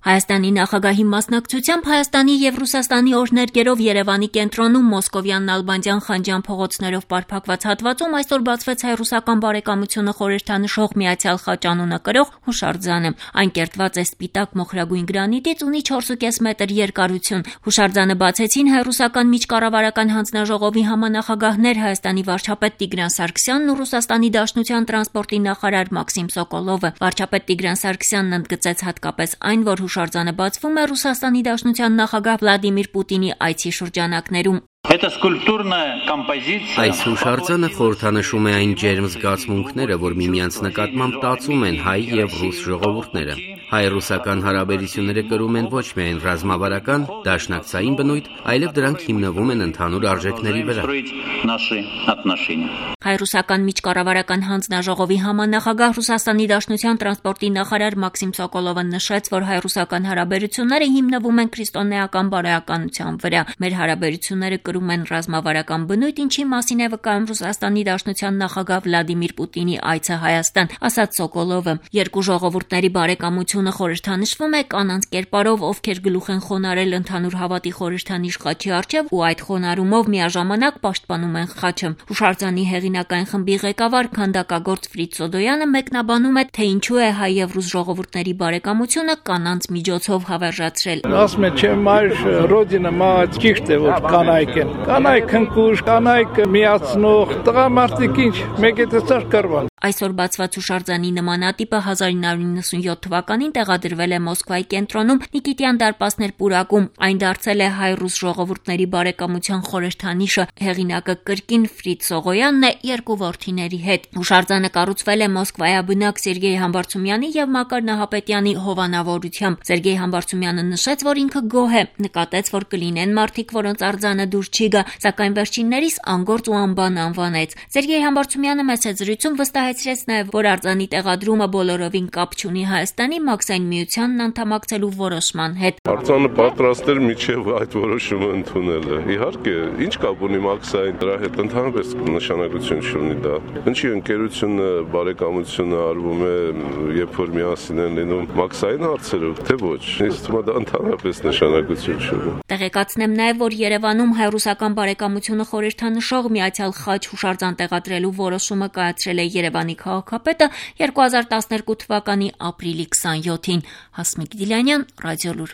Հայաստանի նախագահի մասնակցությամբ Հայաստանի և Ռուսաստանի օրհներգերով Երևանի կենտրոնում Մոսկովյան, Նալբանդյան, Խանջյան փողոցներով պարփակված հատվածում այսօր բացվեց հայ-ռուսական բարեկամությունը խորհրդանշող Միացյալ խաչ անունը կրող հուշարձանը։ Այն կերտված է սպիտակ մոխրագույն գրանիտից, ունի 4.5 մետր երկարություն։ Հուշարձանը բացեցին հայ-ռուսական միջկառավարական հանձնաժողովի համանախագահներ Հայաստանի վարչապետ Տիգրան Սարգսյանն ու Ռուսաստանի Դաշնության տրանսպորտի նախարար Մաքսիմ Սոկոլովը։ Վարչապետ Տիգրան Սարգսյանն ընդգծեց հատկապես այն, որ հուշարձանը բացվում է Ռուսաստանի Դաշնության նախագահ Վլադիմիր Պուտինի այցի շրջանակներում։ Այս հուշարձանը խորհրդանշում է այն ջերմ զգացմունքները, որ միմյանց նկատմամբ տածում են հայ և ռուս ժողովուրդները։ Հայ-ռուսական հարաբերությունները կրում են ոչ միայն ռազմավարական, դաշնակցային բնույթ, այլև դրանք հիմնվում են ընդհանուր արժեքների վրա։ Հայ-ռուսական միջկառավարական հանձնաժողովի համանախագահ Ռուսաստանի Դաշնության տրանսպորտի նախարար Մաքսիմ Սոկոլովը նշեց, որ հայ-ռուսական հարաբերությունները հիմնվում են քրիստոնեական բարոյականության վրա։ Մեր հարաբերությունները կրում են ռազմավարական բնույթ, ինչի մասին է վկայում Ռուսաստանի Դաշնության նախագահ Վլադիմիր Պուտինի այցը Հայաստան, ասաց Սոկոլովը։ Երկու ժողովուրդների բարեկամությունը խորհրդանշվում է կանանց կերպարով, ովքեր գլուխ են խոնարհել ընդհանուր հավատի խորհրդանիշ խաչի առջև ու այդ խոնարհումով միաժամանակ պաշտպանում են խաչը։ Հուշարձանի հեղինակային խմբի ղեկավար քանդակագործ Ֆրիդ Սոդոյանը մեկնաբանում է, թե ինչու է հայ և ռուս ժողովուրդների բարեկամությունը կանանց միջոցով հավերժացրել։ Ասում են, չէ, մայր ռոդինը մահաց ճիշտ է, որ կանայք են։ Կանայք հնկուշ, կանայք միացնող, տղամարդիկ ինչ, մեկ է տեսար կռվան։ Այսօր բացված հուշարձանի նմանատիպը 1997 թվականին տեղադրվել է Մոսկվայի կենտրոնում Նիկիտյան դարպասներ պուրակում։ Այն դարձել է հայ-ռուս ժողովուրդների բարեկամության խորհրդանիշը։ Հեղինակը կրկին Ֆրիդ Սողոյանն է երկու որդիների հետ։ Հուշարձանը կառուցվել է Մոսկվայաբնակ Սերգեյ Համբարձումյանի և Մակար Նահապետյանի հովանավորությամբ։ Սերգեյ Համբարձումյանը նշեց, որ ինքը գոհ է, նկատեց, որ կլինեն մարդիկ, որոնց արձանը դուր չի գա, սակայն վերջիններիս անգործ ու անբան անվանեց։ Սերգեյ Համբարձումյանը մեծ զրույցում վստահեցրեց նաև, որ արձանի տեղադրումը բոլորովին կապ չունի Հայաստանի Մաքսային միությանն անդամակցելու որոշման հետ։ Արձանը պատրաստ էր միջև այդ որոշումը ընդունելը։ Իհարկե, ինչ կապ ունի Մաքսային, դրա հետ ընդհանրապես նշանակություն չունի դա։ Ինչի ընկերությունը, բարեկամությունը արվում է, երբ որ միասին են լինում Մաքսային հարցերով, թե ոչ։ Ինձ թվում է դա ընդհանրապես նշանակություն չունի։ Տեղեկացնեմ նաև, որ Երևանում հայ-ռուսական բարեկամությունը խորհրդանշող Միացյալ խաչ հուշարձան տեղադրելու որոշումը կայացրել է Երևանի քաղաքապետը 2012 թվականի ապրիլի 27-ին։ Հասմիկ Դիլյանյան, Ռադիոլուր։